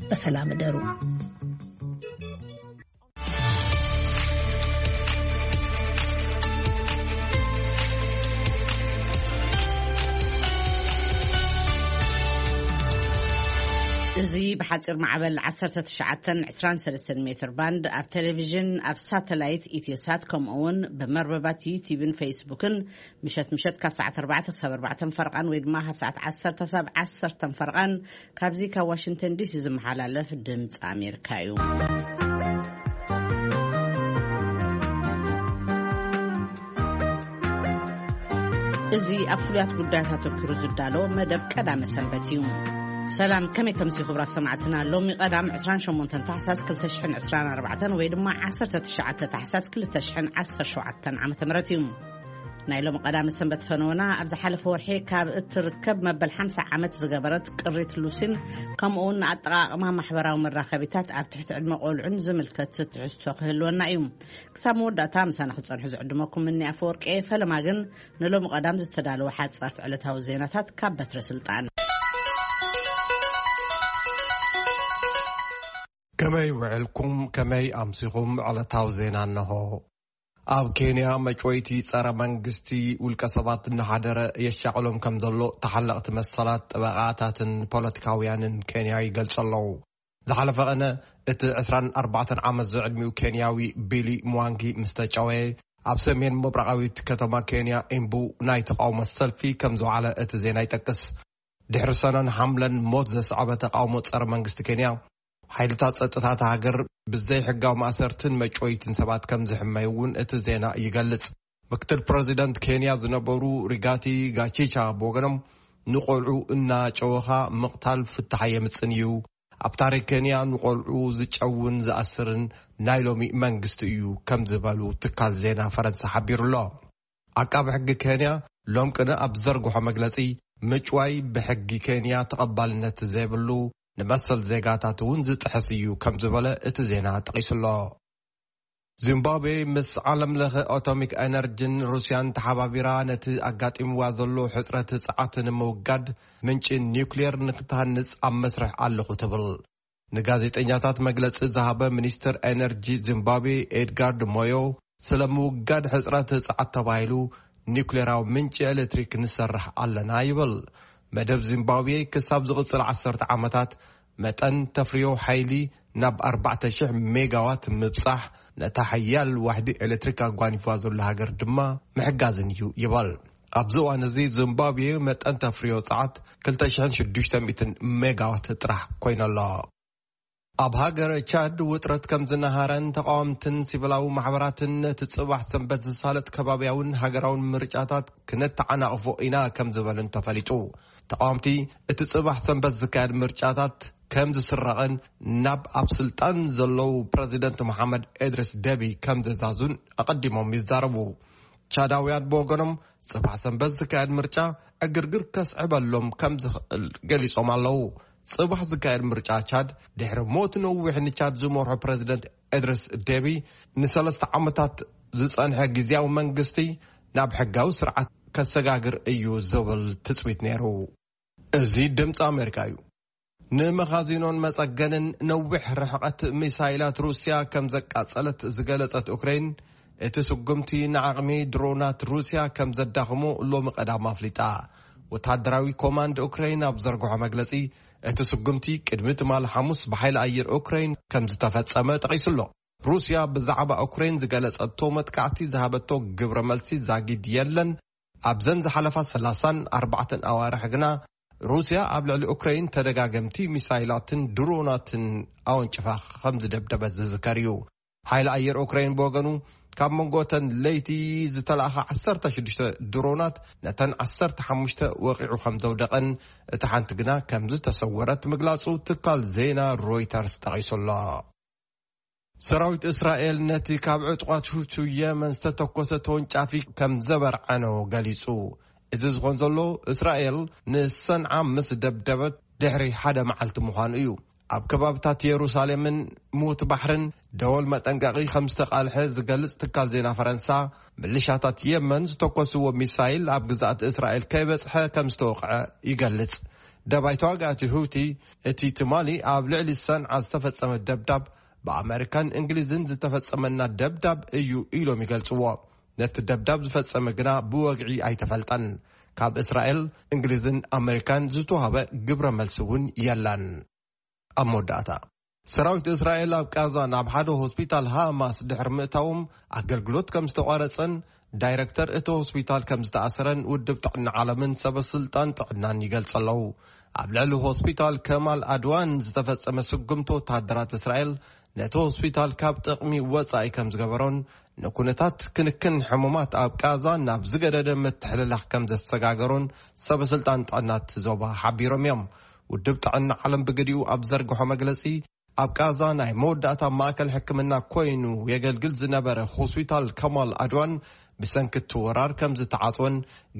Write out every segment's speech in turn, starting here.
በሰላም እደሩ። እዚ ብሓፂር ማዕበል ዓሰርተ ትሽዓተን ዕስራን ሰለስተን ሜትር ባንድ ኣብ ቴሌቪዥን፣ ኣብ ሳተላይት ኢትዮሳት፣ ከምኡ እውን ብመርበባት ዩቲዩብን ፌስቡክን ምሸት ምሸት ካብ ሰዓት ኣርባዕተ ክሳብ ኣርባዕተ ፈርቓን ወይ ድማ ካብ ሰዓት ዓሰርተ ክሳብ ዓሰርተ ፈርቓን ካብዚ ካብ ዋሽንግተን ዲሲ ዝመሓላለፍ ድምፂ ኣሜሪካ እዩ። እዚ ኣብ ፍሉያት ጉዳያት ኣተኪሩ ዝዳሎ መደብ ቀዳመ ሰንበት እዩ። ሰላም፣ ከመይ ተምሲ ክቡራት ሰማዕትና? ሎሚ ቀዳም ዕስራን ሸሞንተን ታሕሳስ ክልተ ሽሕን ዕስራን ኣርባዕተን ወይ ድማ ዓሰርተ ትሽዓተ ታሕሳስ ክልተ ሽሕን ዓሰርተ ሸውዓተን ዓመተ ምህረት እዩ። ናይ ሎሚ ቀዳመ ሰንበት ፈነወና ኣብ ዝሓለፈ ወርሒ ካብ እትርከብ መበል ሓምሳ ዓመት ዝገበረት ቅሪት ሉሲን ከምኡ እውን ንኣጠቓቕማ ማሕበራዊ መራኸቢታት ኣብ ትሕቲ ዕድመ ቆልዑን ዝምልከት ትሕዝቶ ክህልወና እዩ። ክሳብ መወዳእታ ምሳና ክትጸንሑ ዝዕድመኩም እኒ ኣፈወርቂ። ፈለማ ግን ንሎሚ ቀዳም ዝተዳለወ ሓጻርቲ ዕለታዊ ዜናታት ካብ በትረ ስልጣን። ከመይ ውዕልኩም? ከመይ ኣምሲኹም? ዕለታዊ ዜና እነሆ። ኣብ ኬንያ መጭወይቲ ጸረ መንግስቲ ውልቀ ሰባት እናሓደረ የሻቕሎም ከም ዘሎ ተሓለቕቲ መሰላት፣ ጠበቓታትን ፖለቲካውያንን ኬንያ ይገልጹ ኣለዉ። ዝሓለፈ ቐነ እቲ ዕስራን ኣርባዕተን ዓመት ዝዕድሚኡ ኬንያዊ ቢሊ ምዋንጊ ምስ ተጨወየ፣ ኣብ ሰሜን ምብራቓዊት ከተማ ኬንያ ኢምቡ ናይ ተቓውሞ ሰልፊ ከም ዝወዓለ እቲ ዜና ይጠቅስ። ድሕሪ ሰነን ሓምለን ሞት ዘስዓበ ተቓውሞ ጸረ መንግስቲ ኬንያ፣ ሓይልታት ጸጥታ እታ ሃገር ብዘይሕጋዊ ማእሰርትን መጭወይትን ሰባት ከም ዝሕመዩ እውን እቲ ዜና ይገልጽ። ምክትል ፕረዚደንት ኬንያ ዝነበሩ ሪጋቲ ጋቺቻ ብወገኖም፣ ንቖልዑ እናጨወኻ ምቕታል ፍታሕ ኣየምጽን እዩ፣ ኣብ ታሪክ ኬንያ ንቖልዑ ዝጨውን ዝኣስርን ናይ ሎሚ መንግስቲ እዩ ከም ዝበሉ ትካል ዜና ፈረንሳ ሓቢሩ ኣሎ። ዓቃቢ ሕጊ ኬንያ ሎም ቅነ ኣብ ዘርግሖ መግለጺ፣ ምጭዋይ ብሕጊ ኬንያ ተቐባልነት ዘይብሉ፣ ንመሰል ዜጋታት እውን ዝጥሕስ እዩ ከም ዝበለ እቲ ዜና ጠቒሱ ኣሎ። ዚምባብዌ ምስ ዓለም ለኸ ኣቶሚክ ኤነርጂን ሩስያን ተሓባቢራ ነቲ ኣጋጢምዋ ዘሎ ሕጽረት ጸዓት ንምውጋድ ምንጪ ኒውክሌር ንክትሃንጽ ኣብ መስርሕ ኣለኹ ትብል። ንጋዜጠኛታት መግለጺ ዝሃበ ሚኒስትር ኤነርጂ ዚምባብዌ ኤድጋርድ ሞዮ፣ ስለ ምውጋድ ሕጽረት ጸዓት ተባሂሉ ኒውክሌራዊ ምንጪ ኤሌክትሪክ ንሰርሕ ኣለና ይብል። መደብ ዚምባብዌ ክሳብ ዝቕጽል ዓሰርተ ዓመታት መጠን ተፍርዮ ሓይሊ ናብ ኣርባዕተ ሽሕ ሜጋዋት ምብጻሕ፣ ነታ ሓያል ዋሕዲ ኤሌክትሪክ ኣጓኒፍዋ ዘሎ ሃገር ድማ ምሕጋዝን እዩ ይበል። ኣብዚ እዋን እዚ ዚምባብዌ መጠን ተፍርዮ ጸዓት ክልተ ሽሕን ሽዱሽተ ሚእትን ሜጋዋት ጥራሕ ኮይና ኣላ። ኣብ ሃገረ ቻድ ውጥረት ከም ዝነሃረን ተቃወምትን ሲቪላዊ ማሕበራትን ነቲ ጽባሕ ሰንበት ዝሳለጥ ከባብያውን ሃገራውን ምርጫታት ክነተዓናቕፎ ኢና ከም ዝበሉን ተፈሊጡ። ተቃወምቲ እቲ ጽባሕ ሰንበት ዝካየድ ምርጫታት ከም ዝስረቕን ናብ ኣብ ስልጣን ዘለዉ ፕረዚደንት መሓመድ ኤድሪስ ደቢ ከም ዘዛዙን ኣቐዲሞም ይዛረቡ። ቻዳውያን ብወገኖም ጽባሕ ሰንበት ዝካየድ ምርጫ ዕግርግር ከስዕበሎም ከም ዝኽእል ገሊጾም ኣለዉ። ጽባሕ ዝካየድ ምርጫ ቻድ ድሕሪ ሞት ነዊሕ ንቻድ ዝመርሖ ፕረዚደንት ኤድሪስ ደቢ ንሰለስተ ዓመታት ዝጸንሐ ግዝያዊ መንግስቲ ናብ ሕጋዊ ስርዓት ከሰጋግር እዩ ዝብል ትጽቢት ነይሩ። እዚ ድምፂ ኣሜሪካ እዩ። ንመኻዚኖን መጸገንን ነዊሕ ርሕቐት ሚሳይላት ሩስያ ከም ዘቃጸለት ዝገለጸት ኡክሬን፣ እቲ ስጉምቲ ንዓቕሚ ድሮናት ሩስያ ከም ዘዳኽሞ ሎሚ ቀዳም ኣፍሊጣ። ወተሃደራዊ ኮማንድ ኡክሬን ኣብ ዘርግሖ መግለጺ፣ እቲ ስጉምቲ ቅድሚ ትማሊ ሓሙስ ብሓይሊ ኣየር ኡክሬን ከም ዝተፈጸመ ጠቒሱ ኣሎ። ሩስያ ብዛዕባ ኡክሬን ዝገለጸቶ መጥቃዕቲ ዝሃበቶ ግብረ መልሲ ዛጊድ የለን። ኣብዘን ዝሓለፋ ሰላሳን ኣርባዕተን ኣዋርሕ ግና፣ ሩስያ ኣብ ልዕሊ ኡክሬን ተደጋገምቲ ሚሳይላትን ድሮናትን ኣወንጭፋ ከም ዝደብደበት ዝዝከር እዩ። ሓይሊ ኣየር ኡክሬን ብወገኑ፣ ካብ መንጎ እተን ለይቲ ዝተላእኻ ዓሰርተ ሽዱሽተ ድሮናት፣ ነተን ዓሰርተ ሓሙሽተ ወቒዑ ከም ዘውደቐን፣ እታ ሓንቲ ግና ከም ዝተሰወረት ምግላጹ ትካል ዜና ሮይተርስ ጠቒሱ ኣሎ። ሰራዊት እስራኤል ነቲ ካብ ዕጡቓት ሁቲ የመን ዝተተኮሰ ተወንጫፊ ከም ዘበርዓኖ ገሊጹ። እዚ ዝኾን ዘሎ፣ እስራኤል ንሰንዓ ምስ ደብደበት ድሕሪ ሓደ መዓልቲ ምዃኑ እዩ። ኣብ ከባብታት የሩሳሌምን ሙት ባሕርን ደወል መጠንቀቒ ከም ዝተቓልሐ ዝገልጽ ትካል ዜና ፈረንሳ፣ ምልሻታት የመን ዝተኮስዎ ሚሳይል ኣብ ግዛኣት እስራኤል ከይበጽሐ ከም ዝተወቕዐ ይገልጽ። ደባይ ተዋጋእቲ ሁቲ፣ እቲ ትማሊ ኣብ ልዕሊ ሰንዓ ዝተፈጸመ ደብዳብ ብኣመሪካን እንግሊዝን ዝተፈጸመና ደብዳብ እዩ ኢሎም ይገልጽዎ። ነቲ ደብዳብ ዝፈጸመ ግና ብወግዒ ኣይተፈልጠን። ካብ እስራኤል፣ እንግሊዝን ኣመሪካን ዝተዋህበ ግብረ መልሲ እውን የለን። ኣብ መወዳእታ፣ ሰራዊት እስራኤል ኣብ ቃዛ ናብ ሓደ ሆስፒታል ሃማስ ድሕሪ ምእታዎም ኣገልግሎት ከም ዝተቋረጸን ዳይረክተር እቲ ሆስፒታል ከም ዝተኣሰረን ውድብ ጥዕና ዓለምን ሰበ ስልጣን ጥዕናን ይገልጹ ኣለዉ። ኣብ ልዕሊ ሆስፒታል ከማል ኣድዋን ዝተፈጸመ ስጉምቲ ወተሃደራት እስራኤል ነቲ ሆስፒታል ካብ ጥቕሚ ወጻኢ ከም ዝገበሮን ንኩነታት ክንክን ሕሙማት ኣብ ቃዛ ናብ ዝገደደ ምትሕልላኽ ከም ዘሰጋገሮን ሰበ ስልጣን ጥዕና እቲ ዞባ ሓቢሮም እዮም። ውድብ ጥዕና ዓለም ብግዲኡ ኣብ ዘርግሖ መግለጺ፣ ኣብ ቃዛ ናይ መወዳእታ ማእከል ሕክምና ኮይኑ የገልግል ዝነበረ ሆስፒታል ከማል ኣድዋን ብሰንኪ እቲ ወራር ከም ዝተዓጽወን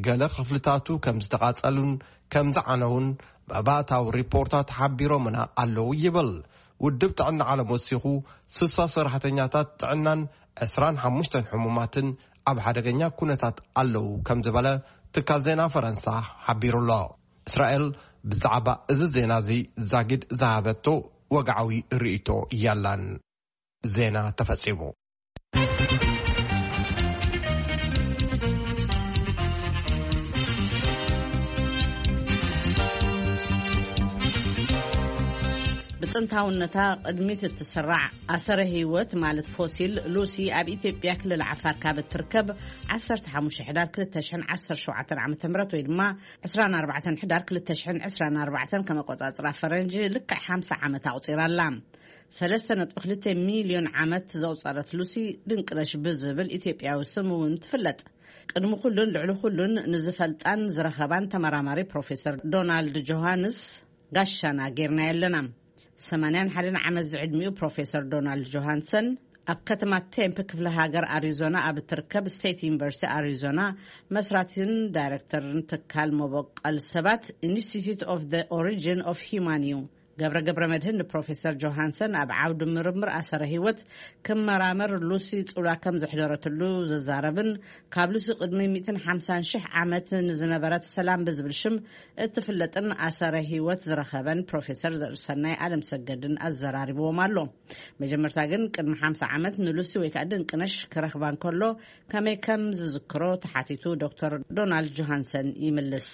ገለ ክፍልታቱ ከም ዝተቓጸሉን ከም ዝዓነውን መባእታዊ ሪፖርታት ሓቢሮምና ኣለዉ ይብል። ውድብ ጥዕና ዓለም ወሲኹ፣ ስሳ ሰራሕተኛታት ጥዕናን ዕስራን ሓሙሽተን ሕሙማትን ኣብ ሓደገኛ ኩነታት ኣለዉ ከም ዝበለ ትካል ዜና ፈረንሳ ሓቢሩ ኣሎ። እስራኤል ብዛዕባ እዚ ዜና እዚ ዛጊድ ዝሃበቶ ወግዓዊ ርእይቶ የላን። ዜና ተፈጺሙ። ብጥንታውነታ ቅድሚት እትስራዕ ኣሰረ ህይወት ማለት ፎሲል ሉሲ ኣብ ኢትዮጵያ ክልል ዓፋር ካብ እትርከብ ዓሰርተ ሓሙሽተ ሕዳር ክልተ ሽሕን ዓሰርተ ሸውዓተን ዓመተ ምህረት ወይ ድማ ዕስራን ኣርባዕተን ሕዳር ክልተ ሽሕን ዕስራን ኣርባዕተን ከም ኣቆጻጽራ ፈረንጂ ልክዕ ሓምሳ ዓመት ኣቑጺራ ኣላ። ሰለስተ ነጥቢ ክልተ ሚልዮን ዓመት ዘቑጸረት ሉሲ ድንቅነሽ ብዝብል ኢትዮጵያዊ ስም እውን ትፍለጥ። ቅድሚ ኩሉን ልዕሊ ኩሉን ንዝፈልጣን ዝረኸባን ተመራማሪ ፕሮፌሰር ዶናልድ ጆሃንስ ጋሻና ጌርና ኣለና። ሰማንያን ሓደን ዓመት ዝዕድሚኡ ፕሮፌሰር ዶናልድ ጆሃንሰን ኣብ ከተማ ቴምፕ ክፍለ ሃገር ኣሪዞና ኣብ እትርከብ ስቴት ዩኒቨርሲቲ ኣሪዞና መስራቲን ዳይሬክተርን ትካል መበቆል ሰባት ኢንስቲትዩት ኦፍ the ኦሪጂን ኦፍ ሂማን እዩ። ገብረ ገብረ መድህን ንፕሮፌሰር ጆሃንሰን ኣብ ዓውዲ ምርምር ኣሰረ ህይወት ክመራመር ሉሲ ጽውላ ከም ዘሕደረትሉ ዝዛረብን ካብ ሉሲ ቅድሚ ሚእትን ሓምሳን ሽሕ ዓመት ንዝነበረት ሰላም ብዝብል ሽም እትፍለጥን ኣሰረ ህይወት ዝረኸበን ፕሮፌሰር ዘርእሰናይ ኣለምሰገድን ኣዘራሪብዎም ኣሎ። መጀመርታ ግን ቅድሚ ሓምሳ ዓመት ንሉሲ ወይ ከዓ ድንቅነሽ ክረኽባ እንከሎ ከመይ ከም ዝዝክሮ ተሓቲቱ ዶክተር ዶናልድ ጆሃንሰን ይምልስ።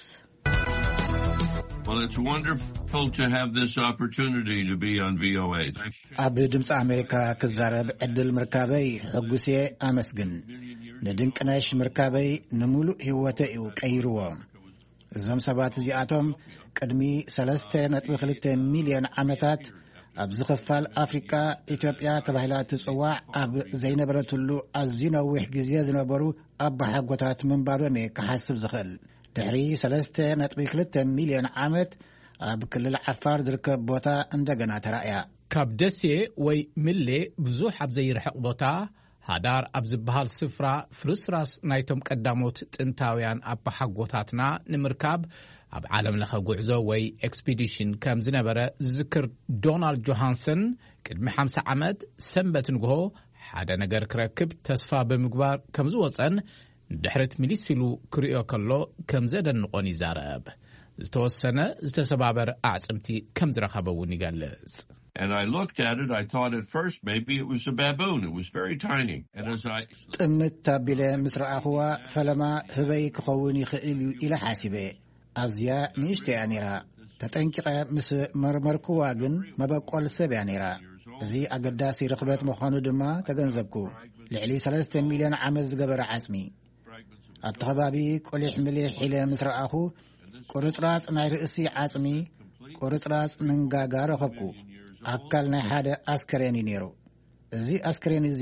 Well, it's wonderful to have this opportunity to be on V O A. ኣብ ድምፂ ኣሜሪካ ክዛረብ ዕድል ምርካበይ ሕጉስየ ኣመስግን። ንድንቅነሽ ምርካበይ ንምሉእ ህይወተ እዩ ቀይርዎ። እዞም ሰባት እዚኣቶም ቅድሚ ሰለስተ ነጥቢ ክልተ ሚልዮን ዓመታት ኣብዚ ክፋል ኣፍሪቃ ኢትዮጵያ ተባሂላ ትጽዋዕ ኣብ ዘይነበረትሉ ኣዝዩ ነዊሕ ግዜ ዝነበሩ ኣባሓጎታት ምንባሮም እየ ክሓስብ ዝኽእል። ድሕሪ ሰለስተ ነጥቢ ክልተ ሚልዮን ዓመት ኣብ ክልል ዓፋር ዝርከብ ቦታ እንደገና ተራእያ። ካብ ደሴ ወይ ምሌ ብዙሕ ኣብ ዘይርሕቕ ቦታ፣ ሃዳር ኣብ ዝበሃል ስፍራ ፍርስራስ ናይቶም ቀዳሞት ጥንታውያን ኣባሓጎታትና ንምርካብ ኣብ ዓለም ለኸ ጉዕዞ ወይ ኤክስፒዲሽን ከም ዝነበረ ዝዝክር ዶናልድ ጆሃንሰን፣ ቅድሚ ሓምሳ ዓመት ሰንበት ንግሆ ሓደ ነገር ክረክብ ተስፋ ብምግባር ከም ዝወጸን ንድሕሪት ምልስ ኢሉ ክርእዮ ከሎ ከም ዘደንቖን ይዛረብ። ዝተወሰነ ዝተሰባበር ኣዕጽምቲ ከም ዝረኸበ እውን ይገልጽ። And I looked at it, I thought at first maybe it was a baboon. It was very tiny. And as I ጥምት ኣቢለ ምስ ረኣኽዋ ፈለማ ህበይ ክኸውን ይኽእል እዩ ኢለ ሓሲበ። ኣዝያ ንእሽቶ እያ ነይራ። ተጠንቂቐ ምስ መርመርክዋ ግን መበቆል ሰብ እያ ነይራ። እዚ ኣገዳሲ ርኽበት ምዃኑ ድማ ተገንዘብኩ። ልዕሊ ሰለስተ ሚልዮን ዓመት ዝገበረ ዓጽሚ። ኣብቲ ከባቢ ቁሊሕ ምሊሕ ኢለ ምስ ረኣኹ ቁርጽራጽ ናይ ርእሲ ዓጽሚ፣ ቁርጽራጽ መንጋጋ ረኸብኩ። ኣካል ናይ ሓደ ኣስከሬን እዩ ነይሩ። እዚ ኣስከሬን እዚ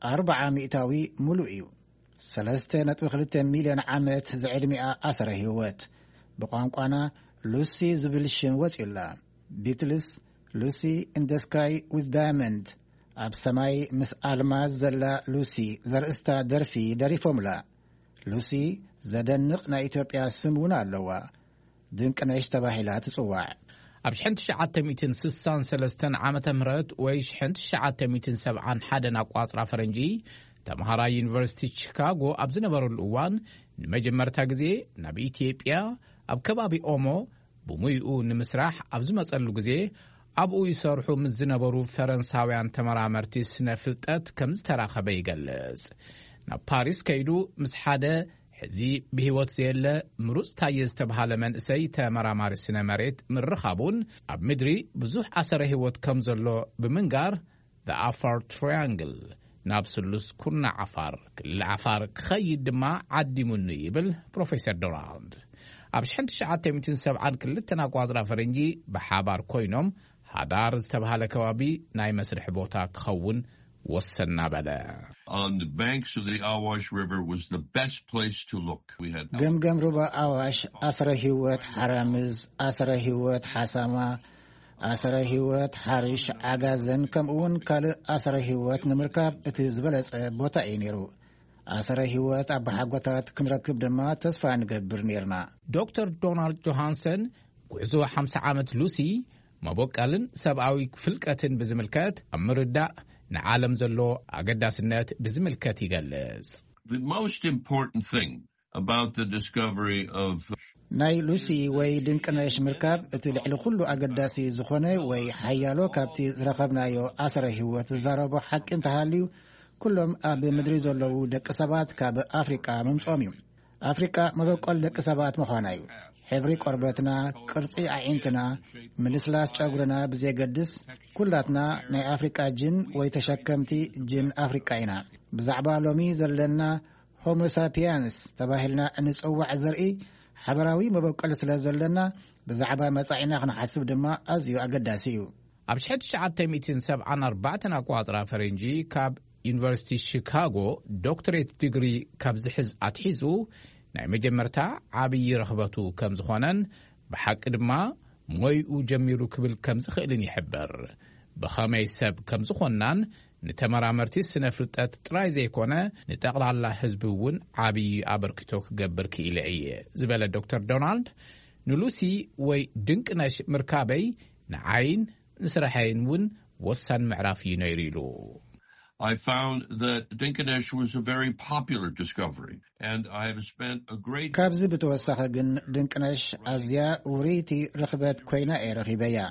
ኣርብዓ ሚእታዊ ሙሉእ እዩ። ሰለስተ ነጥቢ ክልተ ሚልዮን ዓመት ዝዕድሚኣ ኣሰረ ህይወት። ብቋንቋና ሉሲ ዝብል ሽም ወጺኡላ። ቢትልስ ሉሲ in the sky with diamond፣ ኣብ ሰማይ ምስ ኣልማዝ ዘላ ሉሲ ዘርእስታ ደርፊ ደሪፎምላ። ሉሲ ዘደንቕ ናይ ኢትዮጵያ ስም እውን ኣለዋ። ድንቅነሽ ተባሂላ ትጽዋዕ። ኣብ ሽሕን ትሽዓተ ሚእትን ስሳን ሰለስተን ዓመተ ምህረት ወይ ሽሕን ትሽዓተ ሚእትን ሰብዓን ሓደን ኣቋጽራ ፈረንጂ፣ ተምሃራይ ዩኒቨርሲቲ ቺካጎ ኣብ ዝነበረሉ እዋን ንመጀመርታ ግዜ ናብ ኢትዮጵያ ኣብ ከባቢ ኦሞ ብሙይኡ ንምስራሕ ኣብ ዝመጸሉ ግዜ ኣብኡ ይሰርሑ ምስ ዝነበሩ ፈረንሳውያን ተመራመርቲ ስነ ፍልጠት ከም ዝተራኸበ ይገልጽ። ናብ ፓሪስ ከይዱ ምስ ሓደ ሕዚ ብህይወት ዘየለ ምሩጽ ታየ ዝተባሃለ መንእሰይ ተመራማሪ ስነ መሬት ምርኻቡን ኣብ ምድሪ ብዙሕ ኣሰረ ህይወት ከም ዘሎ ብምንጋር፣ The Afar Triangle ናብ ስሉስ ኩርናዕ ዓፋር፣ ክልል ዓፋር ክኸይድ ድማ ዓዲሙኒ ይብል ፕሮፌሰር ዶናልድ። ኣብ ሽሕን ትሽዓተ ሚእትን ሰብዓን ክልተን ኣቋጽራ ፈረንጂ ብሓባር ኮይኖም ሃዳር ዝተባሃለ ከባቢ ናይ መስርሒ ቦታ ክኸውን ወሰና በለ። On the banks of the Awash River was the best place to look. We had ገምገም ሩባ ኣዋሽ፣ ኣስረ ህይወት ሓራምዝ፣ ኣስረ ህይወት ሓሳማ፣ ኣስረ ህይወት ሓርሽ፣ ዓጋዘን፣ ከምኡውን ካልእ ኣስረ ህይወት ንምርካብ እቲ ዝበለጸ ቦታ እዩ ነይሩ። ኣስረ ህይወት ኣባሓጎታት ክንረክብ ድማ ተስፋ ንገብር ነይርና። ዶክተር ዶናልድ ጆሃንሰን ጉዕዞ ሓምሳ ዓመት ሉሲ መቦቀልን ሰብኣዊ ፍልቀትን ብዝምልከት ኣብ ምርዳእ ንዓለም ዘሎ ኣገዳስነት ብዝምልከት ይገልጽ። The most important thing about the discovery of ናይ ሉሲ ወይ ድንቅነሽ ምርካብ እቲ ልዕሊ ኩሉ ኣገዳሲ ዝኾነ ወይ ሓያሎ ካብቲ ዝረኸብናዮ ኣስረ ህይወት ዝዛረቦ ሓቂ እንተሃልዩ፣ ኩሎም ኣብ ምድሪ ዘለዉ ደቂ ሰባት ካብ ኣፍሪቃ ምምጽኦም እዩ። ኣፍሪቃ መበቆል ደቂ ሰባት ምዃና እዩ። ሕብሪ ቆርበትና፣ ቅርጺ ኣዒንትና፣ ምልስላስ ጨጉርና ብዘየገድስ፣ ኩላትና ናይ ኣፍሪቃ ጅን ወይ ተሸከምቲ ጅን ኣፍሪቃ ኢና። ብዛዕባ ሎሚ ዘለና ሆሞሳፒያንስ ተባሂልና እንጽዋዕ ዘርኢ ሓበራዊ መበቆል ስለ ዘለና፣ ብዛዕባ መጻኢና ክንሓስብ ድማ ኣዝዩ ኣገዳሲ እዩ። ኣብ ሽሕን ትሽዓተ ሚእትን ሰብዓን ኣርባዕተን ኣቋጽራ ፈረንጂ ካብ ዩኒቨርሲቲ ሺካጎ ዶክትሬት ዲግሪ ካብ ዝሕዝ ኣትሒዙ ናይ መጀመርታ ዓብዪ ረኽበቱ ከም ዝኾነን ብሓቂ ድማ ሞይኡ ጀሚሩ ክብል ከም ዝኽእልን ይሕብር። ብኸመይ ሰብ ከም ዝኾንናን ንተመራመርቲ ስነ ፍልጠት ጥራይ ዘይኮነ ንጠቕላላ ህዝቢ እውን ዓብዪ ኣበርክቶ ክገብር ክኢለ እየ ዝበለ ዶክተር ዶናልድ፣ ንሉሲ ወይ ድንቅነሽ ምርካበይ ንዓይን ንስራሐይን እውን ወሳኒ ምዕራፍ እዩ ነይሩ ኢሉ። I found that Dinkinesh was a very popular discovery, and I have spent a great ካብዚ ብተወሳኺ ግን ድንቅነሽ ኣዝያ ውርይቲ ርኽበት ኮይና እየ ረኺበያ።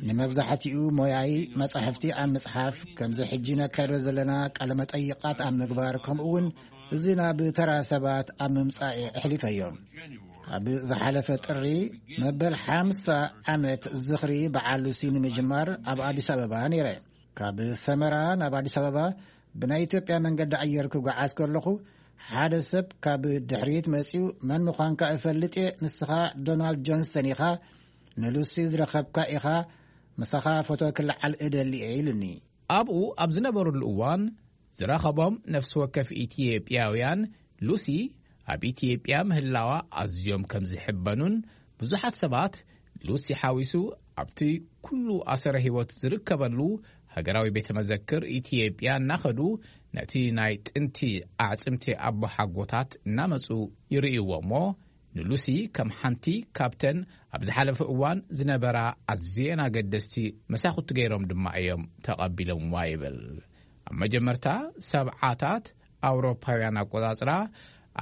ንመብዛሕትኡ ሞያይ መጻሕፍቲ ኣብ ምጽሓፍ፣ ከምዚ ሕጂ ነካይዶ ዘለና ቃለ መጠይቓት ኣብ ምግባር፣ ከምኡ እውን እዚ ናብ ተራ ሰባት ኣብ ምምጻእ እየ ኣሕሊፈዮ። ኣብ ዝሓለፈ ጥሪ መበል ሓምሳ ዓመት ዝኽሪ በዓል ሉሲ ንምጅማር ኣብ ኣዲስ ኣበባ ነይረ። ካብ ሰመራ ናብ ኣዲስ ኣበባ ብናይ ኢትዮጵያ መንገዲ ኣየር ክጓዓዝ ከለኹ ሓደ ሰብ ካብ ድሕሪት መጺኡ፣ "መን ምዃንካ እፈልጥ እየ፣ ንስኻ ዶናልድ ጆንስተን ኢኻ፣ ንሉሲ ዝረኸብካ ኢኻ፣ ምሳኻ ፎቶ ክለዓል እደሊ እየ" ኢሉኒ። ኣብኡ ኣብ ዝነበሩሉ እዋን ዝረኸቦም ነፍሲ ወከፍ ኢትዮጵያውያን ሉሲ ኣብ ኢትዮጵያ ምህላዋ ኣዝዮም ከም ዝሕበኑን ብዙሓት ሰባት ሉሲ ሓዊሱ ኣብቲ ኩሉ ኣሰረ ህይወት ዝርከበሉ ሃገራዊ ቤተ መዘክር ኢትዮጵያ እናኸዱ ነቲ ናይ ጥንቲ ኣዕጽምቲ ኣቦሓጎታት እናመጹ ይርእይዎ እሞ ንሉሲ ከም ሓንቲ ካብተን ኣብ ዝሓለፈ እዋን ዝነበራ ኣዝየን ኣገደስቲ መሳኹቲ ገይሮም ድማ እዮም ተቐቢሎምዋ ይብል። ኣብ መጀመርታ ሰብዓታት ኣውሮፓውያን ኣቆጻጽራ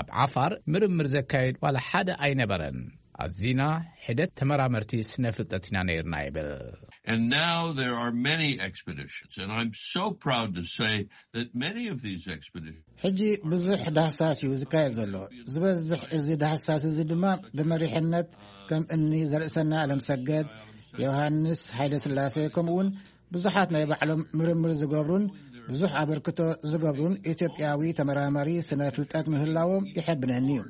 ኣብ ዓፋር ምርምር ዘካየድ ዋላ ሓደ ኣይነበረን። ኣዚና ሕደት ተመራመርቲ ስነ ፍልጠት ኢና ነይርና ይብል። And now there are many expeditions, and I'm so proud to say that many of these expeditions ሕጂ ብዙሕ ዳህሳስ እዩ ዝካየድ ዘሎ። ዝበዝሕ እዚ ዳህሳስ እዚ ድማ ብመሪሕነት ከም እኒ ዘርእሰና ኣለምሰገድ፣ ዮሃንስ ሃይለ ስላሴ፣ ከምኡውን ብዙሓት ናይ ባዕሎም ምርምር ዝገብሩን ብዙሕ ኣበርክቶ ዝገብሩን ኢትዮጵያዊ ተመራማሪ ስነ ፍልጠት ምህላዎም ይሕብነኒ እዩ።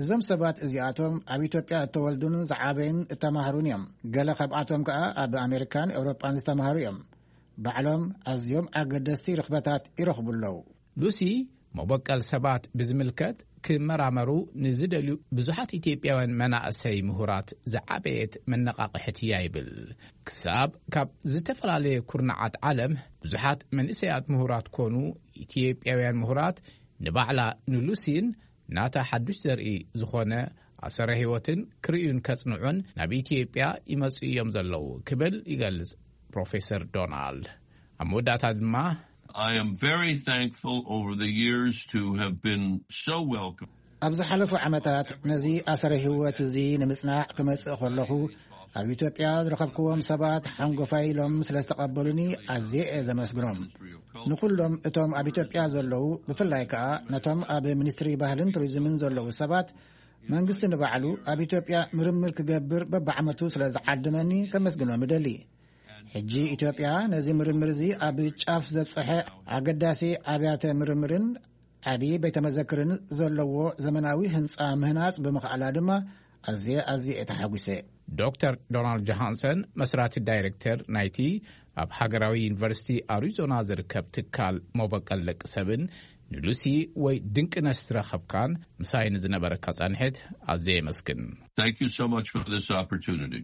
እዞም ሰባት እዚኣቶም ኣብ ኢትዮጵያ እተወልዱን ዝዓበዩን እተማህሩን እዮም። ገለ ካብኣቶም ከኣ ኣብ ኣሜሪካን ኤውሮጳን ዝተማህሩ እዮም። ባዕሎም ኣዝዮም ኣገደስቲ ርኽበታት ይረኽቡ ኣለዉ። ሉሲ መበቀል ሰባት ብዝምልከት ክመራመሩ ንዝደልዩ ብዙሓት ኢትዮጵያውያን መናእሰይ ምሁራት ዝዓበየት መነቓቕሕት እያ ይብል። ክሳብ ካብ ዝተፈላለየ ኩርናዓት ዓለም ብዙሓት መንእሰያት ምሁራት ኮኑ ኢትዮጵያውያን ምሁራት ንባዕላ ንሉሲን ናታ ሓዱሽ ዘርኢ ዝኾነ ኣሰረ ህይወትን ክርእዩን ከጽንዑን ናብ ኢትዮጵያ ይመጹ እዮም ዘለዉ ክብል ይገልጽ ፕሮፌሰር ዶናልድ። ኣብ መወዳእታ ድማ I am very thankful over the years to have been so welcome. ኣብ ዝሓለፉ ዓመታት ነዚ ኣሰረ ህይወት እዚ ንምጽናዕ ክመጽእ ከለኹ ኣብ ኢትዮጵያ ዝረኸብክዎም ሰባት ሓንጎፋይ ኢሎም ስለ ዝተቐበሉኒ ኣዝየ እየ ዘመስግኖም። ንኹሎም እቶም ኣብ ኢትዮጵያ ዘለዉ፣ ብፍላይ ከኣ ነቶም ኣብ ሚኒስትሪ ባህልን ቱሪዝምን ዘለዉ ሰባት፣ መንግስቲ ንባዕሉ ኣብ ኢትዮጵያ ምርምር ክገብር በብዓመቱ ስለ ዝዓደመኒ ከመስግኖም እደሊ። ሕጂ ኢትዮጵያ ነዚ ምርምር እዚ ኣብ ጫፍ ዘብጽሐ ኣገዳሲ ኣብያተ ምርምርን ዓቢ ቤተ መዘክርን ዘለዎ ዘመናዊ ህንጻ ምህናጽ ብምኽኣላ ድማ ኣዝየ፣ ኣዝየ እየ ተሓጒሰ። ዶክተር ዶናልድ ጆሃንሰን፣ መስራቲ ዳይሬክተር ናይቲ ኣብ ሃገራዊ ዩኒቨርሲቲ ኣሪዞና ዝርከብ ትካል መበቀል ደቂ ሰብን ንሉሲ ወይ ድንቅነሽ ዝረኸብካን ምሳይ ንዝነበረካ ጻንሒት ኣዝየ የመስግን። Thank you so much for this opportunity.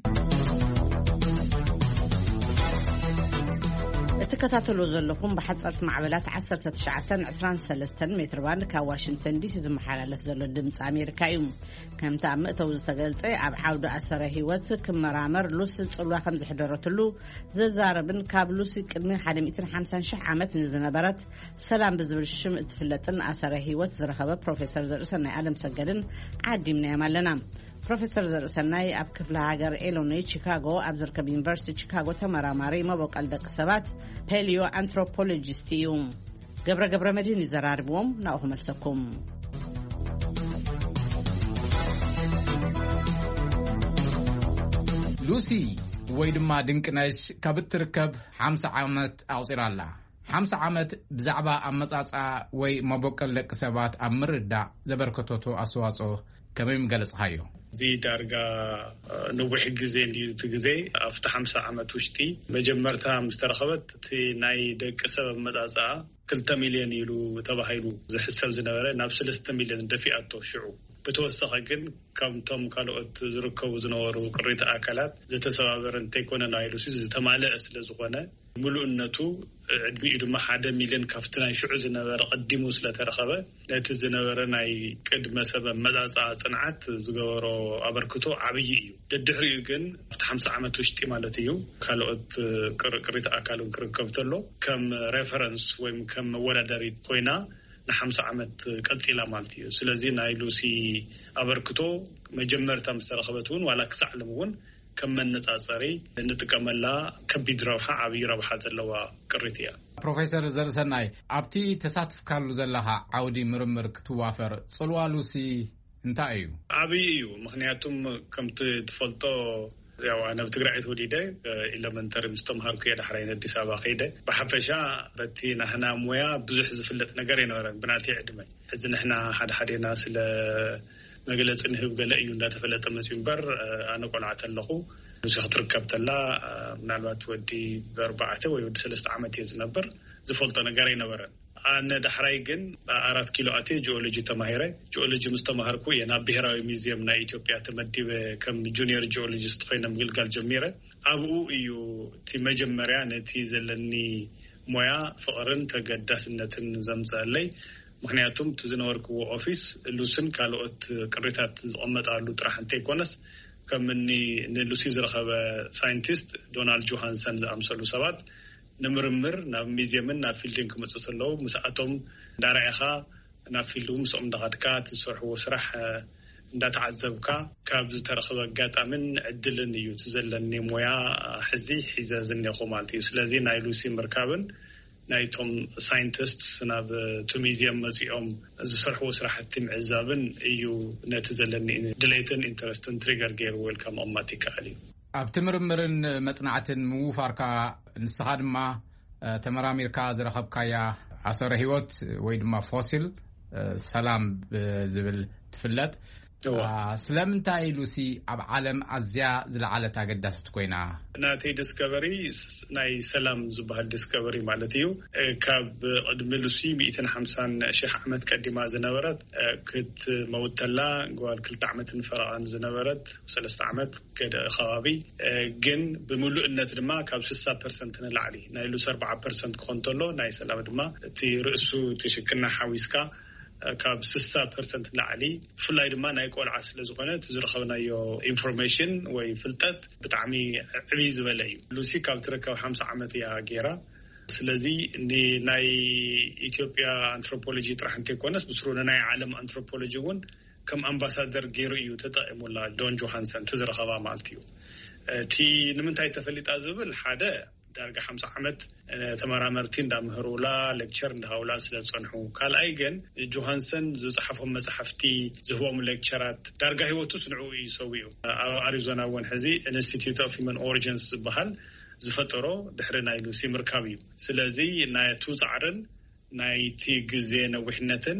እትከታተሉ ዘለኹም ብሓጸርቲ ማዕበላት ዓሰርተ ትሽዓተ ዕስራን ሰለስተን ሜትር ባንድ ካብ ዋሽንግተን ዲሲ ዝመሓላለፍ ዘሎ ድምፂ ኣሜሪካ እዩ። ከምቲ ኣብ መእተዊ ዝተገልጸ፣ ኣብ ዓውዲ ኣሰረ ህይወት ክመራመር ሉሲ ጽልዋ ከም ዝሕደረትሉ ዘዛረብን ካብ ሉሲ ቅድሚ ሓደ ሚእትን ሓምሳን ሽሕ ዓመት ንዝነበረት ሰላም ብዝብል ሽም እትፍለጥን ኣሰረ ህይወት ዝረኸበ ፕሮፌሰር ዘርእሰናይ ኣለም ሰገድን ዓዲምናዮም ኣለና። ፕሮፌሰር ዘርእሰናይ ኣብ ክፍለ ሃገር ኤሎኖይ ቺካጎ ኣብ ዝርከብ ዩኒቨርሲቲ ቺካጎ ተመራማሪ መበቀል ደቂ ሰባት ፔሊዮ ኣንትሮፖሎጂስት እዩ። ገብረ ገብረ መድህን ይዘራርብዎም፣ ናብኡ ክመልሰኩም። ሉሲ ወይ ድማ ድንቅነሽ ካብ እትርከብ ሓምሳ ዓመት ኣቑጺራ ኣላ። ሓምሳ ዓመት ብዛዕባ ኣመጻጽኣ ወይ መበቀል ደቂ ሰባት ኣብ ምርዳእ ዘበርከተቶ ኣስተዋጽኦ ከመይ ምገለጽኻዮ? እዚ ዳርጋ ነዊሕ ግዜ እንድዩ። እቲ ግዜ ኣብቲ ሓምሳ ዓመት ውሽጢ መጀመርታ ምስ ተረኸበት እቲ ናይ ደቂ ሰብ ኣመጻጽኣ ክልተ ሚልዮን ኢሉ ተባሂሉ ዝሕሰብ ዝነበረ ናብ ሰለስተ ሚልዮን ደፊኣቶ። ሽዑ ብተወሰኸ ግን ካብቶም ካልኦት ዝርከቡ ዝነበሩ ቅሪተ ኣካላት ዝተሰባበረ እንተይኮነ ናይሉሲ ዝተማልአ ስለ ዝኾነ ምሉእነቱ ዕድሚኡ ድማ ሓደ ሚልዮን ካብቲ ናይ ሽዑ ዝነበረ ቀዲሙ ስለተረኸበ ነቲ ዝነበረ ናይ ቅድመ ሰብ ኣመጻጽኣ ጽንዓት ዝገበሮ ኣበርክቶ ዓብዪ እዩ። ደድሕሪኡ ግን ኣብቲ ሓምሳ ዓመት ውሽጢ ማለት እዩ ካልኦት ቅርቅሪት ኣካል እውን ክርከብ ተሎ ከም ሬፈረንስ ወይም ከም መወዳደሪት ኮይና ንሓምሳ ዓመት ቀጺላ ማለት እዩ። ስለዚ ናይ ሉሲ ኣበርክቶ መጀመርታ ምስ ተረኸበት እውን ዋላ ክሳዕ ሎም እውን ከም መነጻጸሪ እንጥቀመላ ከቢድ ረብሓ ዓብዪ ረብሓ ዘለዋ ቅሪት እያ። ፕሮፌሰር ዘርሰናይ ኣብቲ ተሳትፍካሉ ዘለኻ ዓውዲ ምርምር ክትዋፈር ጽልዋ ሉሲ እንታይ እዩ? ዓብዪ እዩ። ምኽንያቱም ከምቲ ትፈልጦ ያው ኣነ ኣብ ትግራይ ተወሊደ ኢለመንተሪ ምስ ተምሃርኩ እየ ዳሕራይ ንኣዲስ ኣበባ ከይደ። ብሓፈሻ በቲ ናህና ሞያ ብዙሕ ዝፍለጥ ነገር ኣይነበረን ብናተይ ዕድመ። ሕዚ ንሕና ሓደ ሓዴና ስለ መግለፂ ንህብ ገለ እዩ እንዳተፈለጠ መፅዩ እምበር ኣነ ቆልዓ ተለኹ ሉሲ ክትርከብ ተላ ምናልባት ወዲ ኣርባዕተ ወይ ወዲ ሰለስተ ዓመት እየ ዝነብር። ዝፈልጦ ነገር ኣይነበረን። ኣነ ዳሕራይ ግን ኣራት ኪሎ ኣትየ ጂኦሎጂ ተማሂረ። ጂኦሎጂ ምስ ተማሃርኩ እየ ናብ ብሄራዊ ሚዝየም ናይ ኢትዮጵያ ተመዲበ ከም ጁኒየር ጂኦሎጂስት ኮይነ ምግልጋል ጀሚረ። ኣብኡ እዩ እቲ መጀመርያ ነቲ ዘለኒ ሞያ ፍቕርን ተገዳስነትን ዘምፀአለይ። ምኽንያቱም እቲ ዝነበርክዎ ኦፊስ ሉስን ካልኦት ቅሪታት ዝቐመጣሉ ጥራሕ እንተይኮነስ ከም እኒ ንሉሲ ዝረኸበ ሳይንቲስት ዶናልድ ጆሃንሰን ዝኣምሰሉ ሰባት ንምርምር ናብ ሚዝየምን ናብ ፊልድን ክመፁ ከለዉ ምስኣቶም እንዳረኣኻ ናብ ፊልድ እውን ምስኦም እንዳኻድካ እቲ ዝሰርሕዎ ስራሕ እንዳተዓዘብካ ካብ ዝተረኸበ ኣጋጣምን ዕድልን እዩ እቲ ዘለኒ ሞያ ሕዚ ሒዘ ዝኔኹ ማለት እዩ። ስለዚ ናይ ሉሲ ምርካብን ናይቶም ሳይንቲስት ናብ እቲ ሚዝየም መፂኦም ዝሰርሕዎ ስራሕቲ ምዕዛብን እዩ ነቲ ዘለኒ ድሌትን ኢንተረስትን ትሪገር ገይሩ ወልካ ምቕማጥ ይከኣል እዩ። ኣብቲ ምርምርን መጽናዕትን ምውፋርካ ንስኻ ድማ ተመራሚርካ ዝረኸብካያ ኣሰረ ህይወት ወይ ድማ ፎሲል ሰላም ብዝብል ትፍለጥ። ስለምንታይ ሉሲ ኣብ ዓለም ኣዝያ ዝለዓለት ኣገዳስት ኮይና? ናተይ ዲስከቨሪ ናይ ሰላም ዝበሃል ዲስከቨሪ ማለት እዩ። ካብ ቅድሚ ሉሲ ሚእትን ሓምሳን ሽሕ ዓመት ቀዲማ ዝነበረት ክትመውት ተላ ጓል ክልተ ዓመትን ፈረቓን ዝነበረት ሰለስተ ዓመት ገደ ከባቢ ግን ብምሉእነት ድማ ካብ ስሳ ፐርሰንት ንላዕሊ ናይ ሉሲ ኣርባዓ ፐርሰንት ክኾን ተሎ ናይ ሰላም ድማ እቲ ርእሱ እቲ ሽክና ሓዊስካ ካብ ስሳ ፐርሰንት ንላዕሊ ብፍላይ ድማ ናይ ቆልዓ ስለ ዝኾነ እቲ ዝረኸብናዮ ኢንፎርሜሽን ወይ ፍልጠት ብጣዕሚ ዕብይ ዝበለ እዩ። ሉሲ ካብ ትርከብ ሓምሳ ዓመት እያ ገይራ። ስለዚ ናይ ኢትዮጵያ ኣንትሮፖሎጂ ጥራሕ እንተይኮነስ ብስሩ ንናይ ዓለም ኣንትሮፖሎጂ እውን ከም ኣምባሳደር ገይሩ እዩ ተጠቂሙላ ዶን ጆሃንሰን ትዝረኸባ ማለት እዩ። እቲ ንምንታይ ተፈሊጣ ዝብል ሓደ ዳርጋ ሓምሳ ዓመት ተመራመርቲ እንዳምህሩላ፣ ሌክቸር እንዳሃውላ ስለ ዝጸንሑ፣ ካልኣይ ግን ጆሃንሰን ዝጸሓፎም መጽሓፍቲ፣ ዝህቦም ሌክቸራት፣ ዳርጋ ህይወቱ ስንዑ እዩ ሰዊኡ። ኣብ ኣሪዞና እውን ሕዚ ኢንስቲትዩት ኦፍ ሂማን ኦሪጂንስ ዝበሃል ዝፈጠሮ ድሕሪ ናይ ሉሲ ምርካብ እዩ። ስለዚ ናቱ ጻዕርን ናይቲ ግዜ ነዊሕነትን፣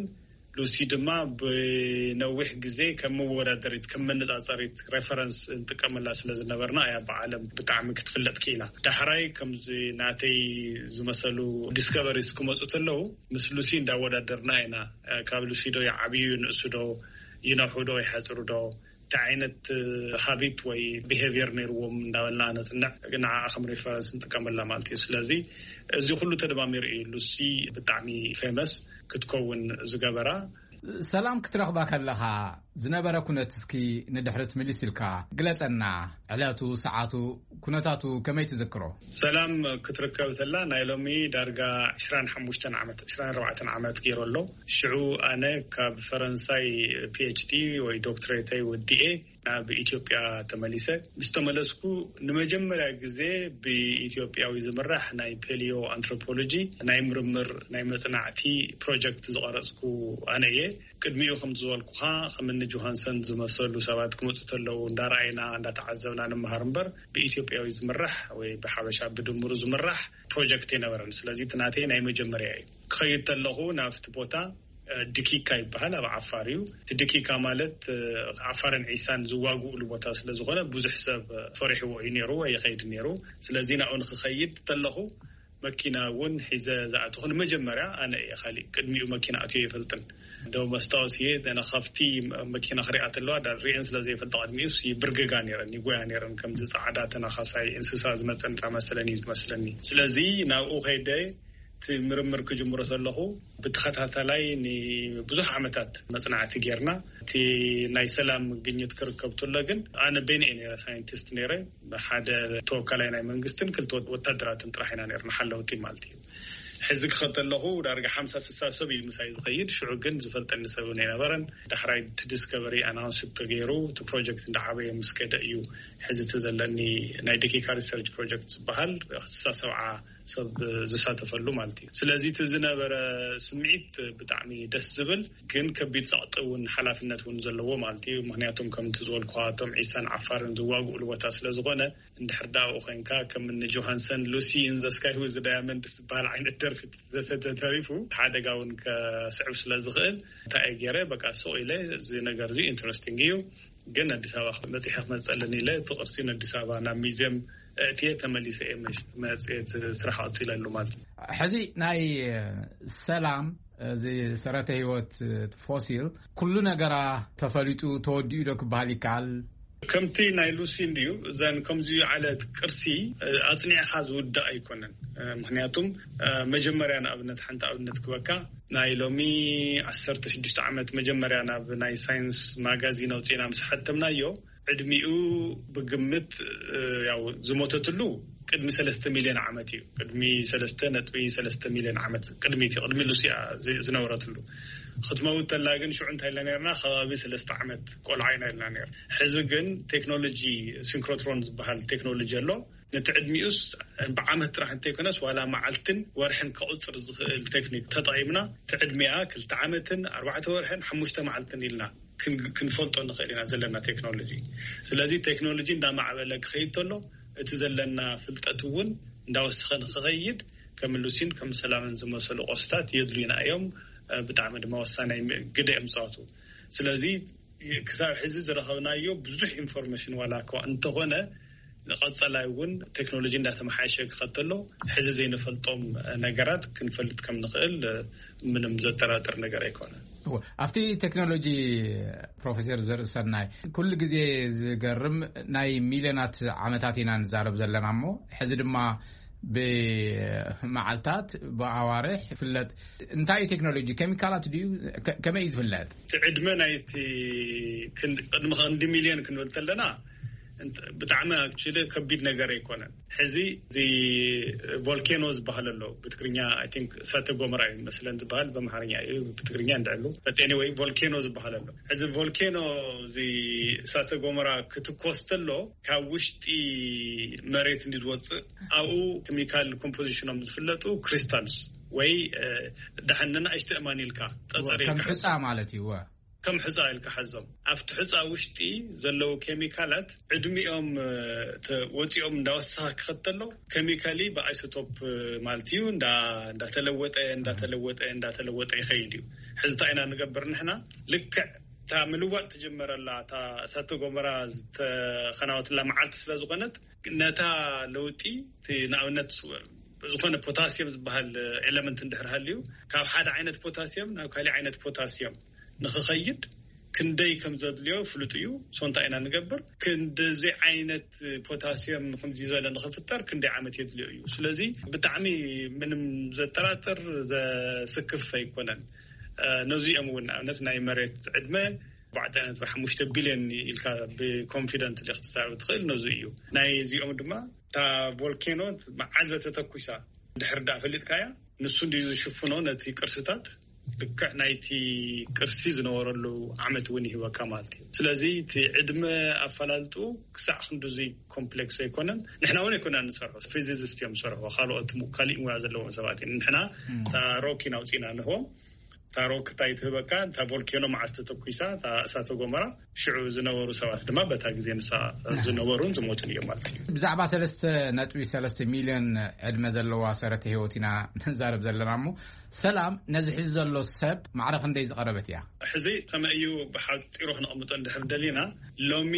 ሉሲ ድማ ብነዊሕ ግዜ ከም መወዳደሪት፣ ከም መነጻጸሪት፣ ሬፈረንስ እንጥቀመላ ስለ ዝነበርና እያ ብዓለም ብጣዕሚ ክትፍለጥ ክኢላ። ዳሕራይ ከምዚ ናተይ ዝመሰሉ ዲስከቨሪስ ክመፁ ተለዉ ምስ ሉሲ እንዳወዳደርና ኢና። ካብ ሉሲ ዶ ይዓብዩ፣ ንእሱ ዶ ይነውሑ ዶ ይሓፅሩ ዶ፣ እንታይ ዓይነት ሃቢት ወይ ቢሄቪየር ነይርዎም እንዳበልና ነፅንዕ፣ ንዓኣ ከም ሬፈረንስ ንጥቀመላ ማለት እዩ። ስለዚ እዚ ኩሉ ተደማሚሩ እዩ ሉሲ ብጣዕሚ ፌመስ ክትከውን ዝገበራ። ሰላም ክትረኽባ ከለኻ ዝነበረ ኩነት እስኪ ንድሕሪት ምልስ ኢልካ ግለጸና። ዕለቱ፣ ሰዓቱ፣ ኩነታቱ ከመይ ትዝክሮ? ሰላም ክትርከብ ተላ ናይ ሎሚ ዳርጋ ዕስራን ሓሙሽተን ዓመት፣ ዕስራን ኣርባዕተን ዓመት ገይሩ ኣሎ። ሽዑ ኣነ ካብ ፈረንሳይ ፒ ኤች ዲ ወይ ዶክትሬተይ ወዲኤ ናብ ኢትዮጵያ ተመሊሰ። ምስ ተመለስኩ ንመጀመርያ ግዜ ብኢትዮጵያዊ ዝምራሕ ናይ ፔሊዮ ኣንትሮፖሎጂ ናይ ምርምር ናይ መጽናዕቲ ፕሮጀክት ዝቐረጽኩ ኣነ እየ። ቅድሚኡ ከም ዝበልኩኻ ከም እኒ ጆሃንሰን ዝመሰሉ ሰባት ክመፁ ተለዉ እንዳረኣይና እንዳተዓዘብና ንምሃር እምበር ብኢትዮጵያዊ ዝምራሕ ወይ ብሓበሻ ብድምሩ ዝምራሕ ፕሮጀክት ኣይነበረን። ስለዚ እቲ ናተይ ናይ መጀመርያ እዩ። ክኸይድ ተለኹ ናብቲ ቦታ ድኪካ ይበሃል፣ ኣብ ዓፋር እዩ። እቲ ድኪካ ማለት ዓፋርን ዒሳን ዝዋግኡሉ ቦታ ስለ ዝኾነ ብዙሕ ሰብ ፈሪሕዎ እዩ ነይሩ ወይ ይኸይድ ነይሩ። ስለዚ ናብኡ ንክኸይድ ተለኹ መኪና እውን ሒዘ ዝኣተኹ ንመጀመርያ ኣነ እየ። ካሊእ ቅድሚኡ መኪና ኣትዮ ይፈልጥን። ደው መስታወስ እየ ዘነ ካብቲ መኪና ክሪኣ ተለዋ ዳ ሪኤን ስለ ዘይፈልጥ ቅድሚኡ ይብርግጋ ነይረን ይጎያ ነይረን ከምዚ ጻዕዳ ተናኻሳይ እንስሳ ዝመፀ እንዳመሰለኒ እዩ ዝመስለኒ። ስለዚ ናብኡ ከይደ እቲ ምርምር ክጅምሮ ዘለኹ ብተኸታተላይ ንብዙሕ ዓመታት መጽናዕቲ ጌርና። እቲ ናይ ሰላም ግኝት ክርከብ ተሎ ግን ኣነ በይነ እየ ነረ ሳይንቲስት ነረ። ሓደ ተወካላይ ናይ መንግስትን ክልተ ወታደራትን ጥራሕ ኢና ነርና ሓለውቲ ማለት እዩ። ሕዚ ክኸተለኹ ዳርጋ ሓምሳ ስሳ ሰብ እዩ ምሳይ ዝኸይድ። ሽዑ ግን ዝፈልጠኒ ሰብ ኣይነበረን። ዳሕራይ እቲ ዲስከቨሪ ኣናውንስ ተገይሩ እቲ ፕሮጀክት እንዳዓበየ ምስ ከደ እዩ ሕዚ እቲ ዘለኒ ናይ ደቂካ ሪሰርች ፕሮጀክት ዝበሃል ስሳ ሰብዓ ሰብ ዝሳተፈሉ ማለት እዩ። ስለዚ እቲ ዝነበረ ስምዒት ብጣዕሚ ደስ ዝብል ግን ከቢድ ጸቕጢ እውን ሓላፍነት እውን ዘለዎ ማለት እዩ። ምክንያቱም ከምቲ ዝበልኩ እቶም ዒሳን ዓፋርን ዝዋግኡሉ ቦታ ስለ ዝኾነ እንድሕር ዳኣ ኮይንካ ከም እኒ ጆሃንሰን ሉሲ ኢን ዘ ስካይ ዊዝ ዳያመንድስ ዝበሃል ዓይነት ደርፊ ተተሪፉ ሓደጋ እውን ከስዕብ ስለ ዝኽእል እንታይ ገይረ በቃ ስቕ ኢለ እዚ ነገር እዚ ኢንትረስቲንግ እዩ ግን ኣዲስ ኣበባ መፅሐ ክመፀልን ኢለ እቲ ቅርሲ ንኣዲስ ኣበባ ናብ ሚዚየም እእትየ ተመሊሰ እየ መፅት ስራሕ ቀፂለሉ ማለት እዩ። ሕዚ ናይ ሰላም እዚ ሰረተ ህይወት ፎሲል ኩሉ ነገራ ተፈሊጡ ተወዲኡ ዶ ክበሃል ይከኣል? ከምቲ ናይ ሉሲ እንድዩ እዘን ከምዚ ዓለት ቅርሲ ኣፅኒዕኻ ዝውዳእ ኣይኮነን። ምክንያቱም መጀመርያ ንኣብነት ሓንቲ ኣብነት ክበካ ናይ ሎሚ ዓሰርተ ሽዱሽተ ዓመት መጀመርያ ናብ ናይ ሳይንስ ማጋዚን ኣውፅእና ምስ ሓተምናዮ ዕድሚኡ ብግምት ያው ዝሞተትሉ ቅድሚ ሰለስተ ሚልዮን ዓመት እዩ። ቅድሚ ሰለስተ ነጥቢ ሰለስተ ሚልዮን ዓመት ቅድሚት እዩ ቅድሚ ሉሲያ ዝነብረትሉ። ክትመውት ተላ ግን ሽዑ እንታይ ኢልና ነርና ከባቢ ሰለስተ ዓመት ቆልዓ ኢና ኢልና ነር። ሕዚ ግን ቴክኖሎጂ ሲንክሮትሮን ዝበሃል ቴክኖሎጂ ኣሎ። ነቲ ዕድሚኡስ ብዓመት ጥራሕ እንተይኮነስ ዋላ መዓልትን ወርሕን ክቁፅር ዝኽእል ቴክኒክ ተጠቒምና እቲ ዕድሚኣ ክልተ ዓመትን ኣርባዕተ ወርሕን ሓሙሽተ መዓልትን ኢልና ክንፈልጦ ንኽእል ኢና ዘለና ቴክኖሎጂ። ስለዚ ቴክኖሎጂ እንዳማዕበለ ክኸይድ ተሎ እቲ ዘለና ፍልጠት እውን እንዳወሰኸ ንክኸይድ ከም ሉሲን ከም ሰላምን ዝመሰሉ ቆስታት የድልዩና እዮም። ብጣዕሚ ድማ ወሳናይ ግደ እዮም ዝፃወቱ። ስለዚ ክሳብ ሕዚ ዝረኸብናዮ ብዙሕ ኢንፎርሜሽን ዋላ እኳ እንተኾነ ንቐፀላይ እውን ቴክኖሎጂ እንዳተመሓየሸ ክኸተሎ ሕዚ ዘይንፈልጦም ነገራት ክንፈልጥ ከም ንኽእል ምንም ዘጠራጥር ነገር ኣይኮነ። ኣብቲ ቴክኖሎጂ ፕሮፌሰር ዘርእሰናይ ኩሉ ግዜ ዝገርም ናይ ሚልዮናት ዓመታት ኢና ንዛረብ ዘለና እሞ ሕዚ ድማ ብመዓልታት ብኣዋርሕ ይፍለጥ። እንታይ እዩ ቴክኖሎጂ ኬሚካላት ድዩ? ከመይ እዩ ዝፍለጥ? ዕድመ ናይቲ ቅድሚ ክንዲ ሚልዮን ክንብል ተለና ብጣዕሚ ኣክቹሊ ከቢድ ነገር ኣይኮነን። ሕዚ እዚ ቮልኬኖ ዝበሃል ኣሎ፣ ብትግርኛ ኣይ ቲንክ እሳተ ጎመራ እዩ መስለን ዝበሃል፣ በምሓርኛ እዩ፣ ብትግርኛ እንድዕሉ። በጤኒ ወይ ቮልኬኖ ዝበሃል ኣሎ። እዚ ቮልኬኖ፣ እዚ እሳተ ጎመራ ክትኮስ ተሎ ካብ ውሽጢ መሬት እንዲ ዝወፅእ፣ ኣብኡ ኬሚካል ኮምፖዚሽኖም ዝፍለጡ ክሪስታልስ ወይ ደሓን ንኣሽተ እማን ኢልካ ጸጸር ከም ኢልካ ሕፃ ማለት እዩ። ከም ሕፃ ኢልካ ሓዞም። ኣብቲ ሕፃ ውሽጢ ዘለዉ ኬሚካላት ዕድሚኦም ወፂኦም እንዳወሰኻ ክኸተሎ፣ ኬሚካሊ ብኣይሶቶፕ ማለት እዩ እንዳተለወጠ እንዳተለወጠ እንዳተለወጠ ይኸይድ እዩ። ሕዚ እንታይ ኢና ንገብር ንሕና? ልክዕ እታ ምልዋጥ ትጅመረላ እታ እሳተ ጎመራ ዝተኸናወትላ መዓልቲ ስለ ዝኾነት፣ ነታ ለውጢ፣ እቲ ንኣብነት ዝኾነ ፖታሲየም ዝበሃል ኤለመንት እንድሕር ሃልዩ፣ ካብ ሓደ ዓይነት ፖታሲየም ናብ ካሊእ ዓይነት ፖታሲየም ንኽኸይድ ክንደይ ከም ዘድልዮ ፍሉጥ እዩ። ሶ እንታይ ኢና ንገብር? ክንደዚ ዓይነት ፖታሲየም ከምዚ ዝበለ ንኽፍጠር ክንደይ ዓመት የድልዮ እዩ። ስለዚ ብጣዕሚ ምንም ዘጠራጥር ዘስክፍ ኣይኮነን። ነዚኦም እውን ንኣብነት ናይ መሬት ዕድመ ኣርባዕተ ነጥቢ ሓሙሽተ ቢልዮን ኢልካ ብኮንፊደንት ክትዛረብ ትኽእል። ነዚ እዩ። ናይ እዚኦም ድማ እታ ቮልኬኖ መዓዘ ተተኩሳ ድሕር ዳ ፈሊጥካያ፣ ንሱ እንዲ ዝሽፍኖ ነቲ ቅርስታት፣ ልክዕ ናይቲ ቅርሲ ዝነበረሉ ዓመት እውን ይህበካ ማለት እዩ። ስለዚ እቲ ዕድመ ኣፈላልጡ ክሳዕ ክንድዚ ኮምፕሌክስ ኣይኮነን። ንሕና እውን ኣይኮና ንሰርሖ፣ ፊዚሲስት እዮም ዝሰርሖ፣ ካልኦት ሙ- ካሊእ ሙያ ዘለዎም ሰባት እዮም። ንሕና እታ ሮኪ ናውፂና ንህቦም፣ እታ ሮክ እንታይ ትህበካ፣ እታ ቮልኬኖ መዓስ ተተኩሳ፣ እታ እሳተ ጎመራ፣ ሽዑ ዝነበሩ ሰባት ድማ በታ ግዜ ንሳ ዝነበሩን ዝሞቱን እዮም ማለት እዩ። ብዛዕባ ሰለስተ ነጥቢ ሰለስተ ሚልዮን ዕድመ ዘለዋ ሰረተ ህይወት ኢና ንዛረብ ዘለና እሞ፣ ሰላም ነዚ ሕዚ ዘሎ ሰብ ማዕረ ክንደይ ዝቐረበት እያ? ሕዚ ከመይ እዩ ብሓፂሩ ክነቐምጦ እንድሕር ደሊና፣ ሎሚ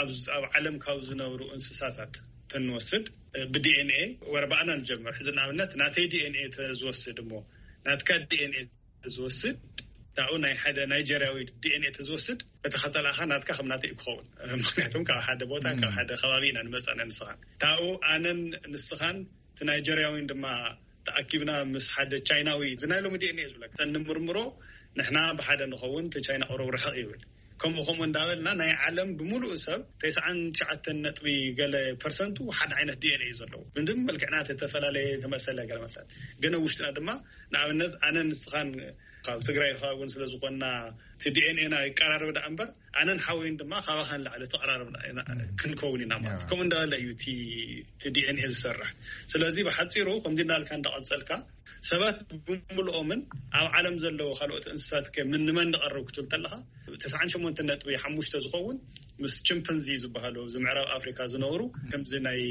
ኣብ ዓለም ካብ ዝነብሩ እንስሳታት ተንወስድ፣ ብዲኤንኤ ወረባእና ንጀምር። ሕዚ ንኣብነት ናተይ ዲኤንኤ ተዝወስድ እሞ ናትካ ዲኤንኤ ዝወስድ፣ ታኡ ናይ ሓደ ናይጀርያዊ ዲኤንኤ ተዝወስድ፣ እቲ ከጸላእኻ ናትካ ከም ናተይ ክኸውን። ምክንያቱም ካብ ሓደ ቦታ ካብ ሓደ ከባቢ ኢና ንመጻና ንስኻን ታኡ ኣነን ንስኻን፣ እቲ ናይጀርያዊን ድማ ተኣኪብና ምስ ሓደ ቻይናዊ፣ እዚ ናይ ሎሚ ዲኤንኤ ዝብለካ፣ ተንምርምሮ ንሕና ብሓደ ንኸውን፣ እቲ ቻይና ቁሩብ ርሕቕ ይብል። ከምኡ ከምኡ እንዳበልና ናይ ዓለም ብምሉእ ሰብ ተስዓን ትሽዓተን ነጥቢ ገለ ፐርሰንቱ ሓደ ዓይነት ዲኤንኤ እዩ ዘለዎ። ምንድን መልክዕና ተፈላለየ ተመሰለ ገለ መሰል፣ ግን ኣብ ውሽጥና ድማ ንኣብነት ኣነ ንስኻን ካብ ትግራይ እውን ስለ ዝኾንና እቲ ዲኤንኤና ይቀራረብ ደኣ እምበር ኣነን ሓወይን ድማ ካባኻን ላዕሊ ተቐራረብና ኢና ክንከውን ኢና ማለት ከምኡ እንዳበለ እዩ እቲ ዲኤንኤ ዝሰርሕ። ስለዚ ብሓፂሩ ከምዚ እንዳልካ እንዳቐፀልካ ሰባት ብምልኦምን ኣብ ዓለም ዘለዉ ካልኦት እንስሳት ከ ምን ንመን ንቐርብ ክትብል ተለኻ ተስዓን ሸሞንተን ነጥቢ ሓሙሽተ ዝኸውን ምስ ቺምፐንዚ ዝበሃሉ ኣብዚ ምዕራብ ኣፍሪካ ዝነብሩ ከምዚ ናይ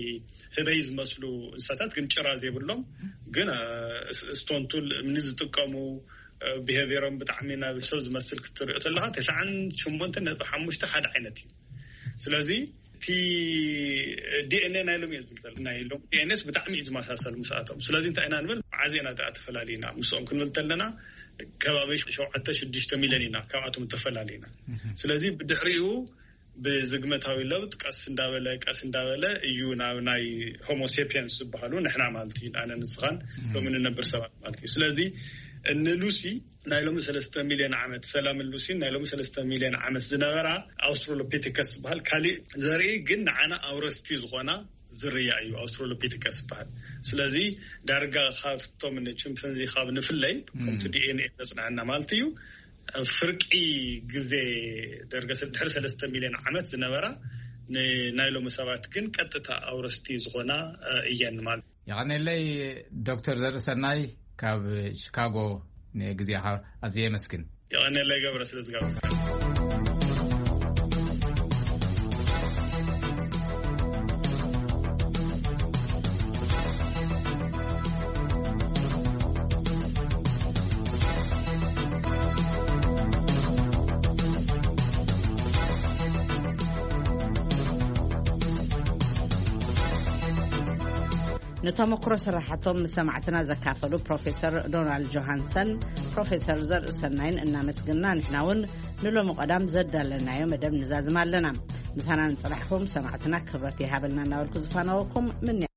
ህበይ ዝመስሉ እንስሳታት ግን ጭራ ዘይብሎም ግን ስቶንቱል እምኒ ዝጥቀሙ ብሄቪሮም ብጣዕሚ ናብ ሰብ ዝመስል ክትሪኦ ተለካ ተስዓን ሸሞንተን ነጥቢ ሓሙሽተ ሓደ ዓይነት እዩ። ስለዚ እቲ ዲኤንኤ ናይ ሎም እየ ዝብል ዘሎ ናይ ሎም ዲኤንኤስ ብጣዕሚ እዩ ዝመሳሰል ምስኣቶም። ስለዚ እንታይ ኢና ንብል መዓዝ ኢና ደኣ ተፈላሊና ምስኦም ክንብል ተለና ከባቢ ሸውዓተ ሽዱሽተ ሚልዮን ኢና ካብኣቶም ተፈላሊና። ስለዚ ብድሕሪኡ ብዝግመታዊ ለውጥ ቀስ እንዳበለ ቀስ እንዳበለ እዩ ናብ ናይ ሆሞሴፒየንስ ዝበሃሉ ንሕና ማለት እዩ ኣነ ንስኻን ሎም እንነብር ሰባት ማለት እዩ። ስለዚ ንሉሲ ናይ ሎሚ ሰለስተ ሚልዮን ዓመት ሰላምን ሉሲን ናይ ሎሚ ሰለስተ ሚልዮን ዓመት ዝነበራ ኣውስትራሎፒቲከስ ዝበሃል ካሊእ ዘርኢ ግን ንዓና ኣውረስቲ ዝኾና ዝርያ እዩ ኣውስትራሎፒቲከስ ዝበሃል። ስለዚ ዳርጋ ካብቶም ንቺምፐንዚ ካብ ንፍለይ ከምቲ ዲኤንኤ ዘፅንዐና ማለት እዩ ፍርቂ ግዜ ደርገ ድሕሪ ሰለስተ ሚልዮን ዓመት ዝነበራ ናይ ሎሚ ሰባት ግን ቀጥታ ኣውረስቲ ዝኾና እየን ማለት። የቐነለይ ዶክተር ዘርእሰናይ ካብ ቺካጎ ንግዜኻ ኣዝየ የመስግን። የቐነለይ ገብረ ስለ ዝጋበዝካ። ንተመክሮ ስራሓቶም ምስ ሰማዕትና ዘካፈሉ ፕሮፌሰር ዶናልድ ጆሃንሰን ፕሮፌሰር ዘርእሰናይን እናመስግና ንሕና እውን ንሎሚ ቀዳም ዘዳለናዮ መደብ ንዛዝም ኣለና። ምሳና ንፅናሕኩም ሰማዕትና ክብረት ይሃበልና እናበልኩ ዝፋነወኩም ምንያ